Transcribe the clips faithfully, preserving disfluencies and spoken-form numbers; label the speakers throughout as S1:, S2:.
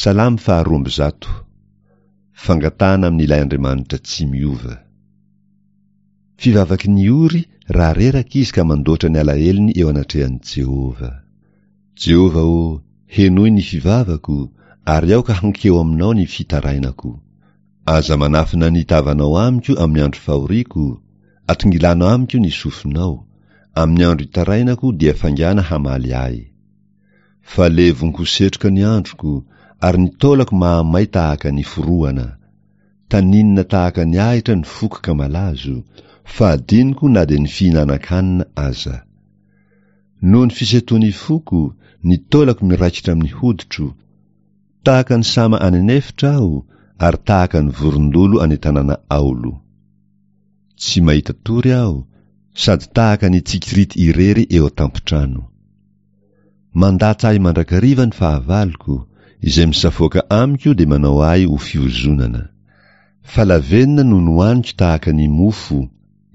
S1: Salamo faharoa amby zato. Fangatahana amin'ilay Andriamanitra tsy miova. Fivavaky ny ory raha reraka izy ka mandoatra ny alahelony eo anatrehan'i Jehovah. Jehovah ô, henoy ny fivavako, ary aoka hankeo aminao ny fitarainako. Aza manafina ny tavanao amiko amin'ny andro fahoriako, atongilano amiko ny sofinao, amin'ny andro itarainako dia faingàna hamaly ahy. Fa levon-ko setroka ny androko, ary ny taolako mahamay tahaka ny forohana. Taninina tahaka ny ahitra ny foko ka malazo, fa adinoko na dia ny fihinanan-kanina aza. Noho ny fisentoan'ny foko, ny taolako miraikitra amin'ny hoditro. Tahaka ny sama any an'efitra aho, ary tahaka ny vorondolo any an-tanàna aolo. Tsy mahita tory aho, sady tahaka ny tsikirity irery eo an-tampon-trano. Mandatsa ahy mandrakariva ny fahavaloko, izay misafoaka amiko dia manao ahy ho fiozonana. Fa lavenona no nohaniko tahaka ny mofo,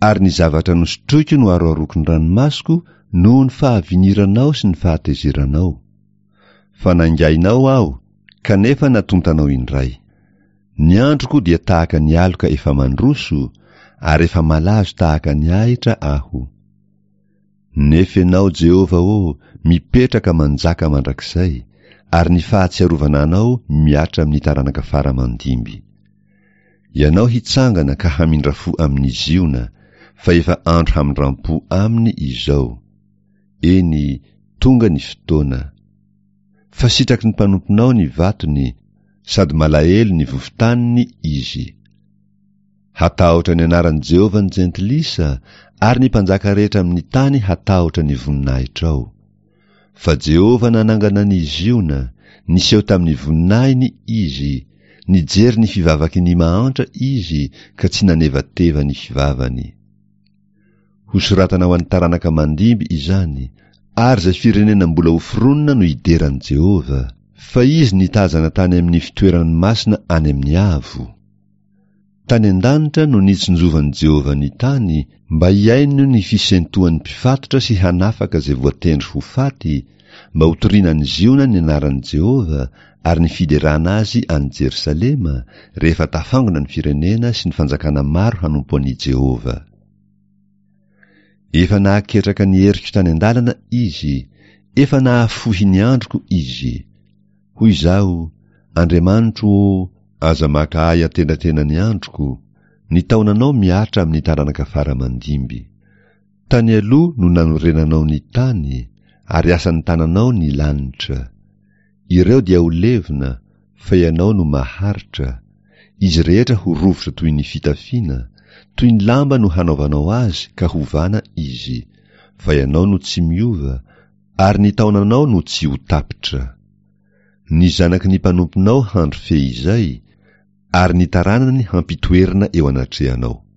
S1: ary ny zavatra nosotroiko no aroaroako ny ranomasoko noho ny fahaviniranao sy ny fahatezeranao. Fa naingainao aho, kanefa natontanao indray. Ny androko dia tahaka ny aloka efa mandroso, ary efa malazo tahaka ny ahitra aho. Nefa Ianao, Jehovah ô, mipetraka manjaka mandrakizay, ary ny fahatsiarovana Anao mihatra amin'ny taranaka fara aman-dimby. Ianao hitsangana ka hamindra fo amin'i Ziona, fa efa andro hamindram-po aminy izao. Eny, tonga ny fotoana. Fa sitraky ny mpanomponao ny vatony, sady malahelo ny vovo-taniny izy. Hatahotra ny anaran'i Jehovah ny jentilisa, ary ny mpanjaka rehetra amin'ny tany hatahotra ny voninahitrao. Fa Jehovah nanangana an'i Ziona, niseho tamin'ny voninahiny izy, nijery ny fivavaky ny mahantra izy ka tsy nanevateva ny fivavany. Hosoratana ho an'ny taranaka mandimby izany, ary izay firenena mbola hoforonina no hidera an'i Jehovah, fa izy nitazana tany amin'ny fitoerany masina any amin'ny avo. Tany an-danitra no nitsinjovan'i Jehovah ny tany, mba hihaino ny fisentoan'ny mpifatotra sy hanafaka izay voatendry ho faty, mba hotorina any Ziona ny anaran'i Jehovah ary ny fiderana azy any Jerosalema, rehefa tafangona ny firenena sy ny fanjakana maro hanompo an'i Jehovah. Efa nahaketraka ny heriko tany an-dalana izy, efa nahafohy ny androko izy. Hoy izaho, Andriamanitro ô, aza maka ahy antenatenan'ny androko, ny taonanao mihatra amin'ny taranaka fara aman-dimby. Tany aloha no nanorenanao ny tany, ary asan'ny tananao ny lanitra. Ireo dia ho levona, fa ianao no maharitra. Izy rehetra ho rovitra toy ny fitafiana, toy ny lamba no hanaovanao azy ka hovana izy. Fa ianao no tsy miova, ary ny taonanao no tsy ho tapitra. Ny zanaky ny mpanomponao handry fehizay, ary ny taranany hampitoerina eo anatrehanao.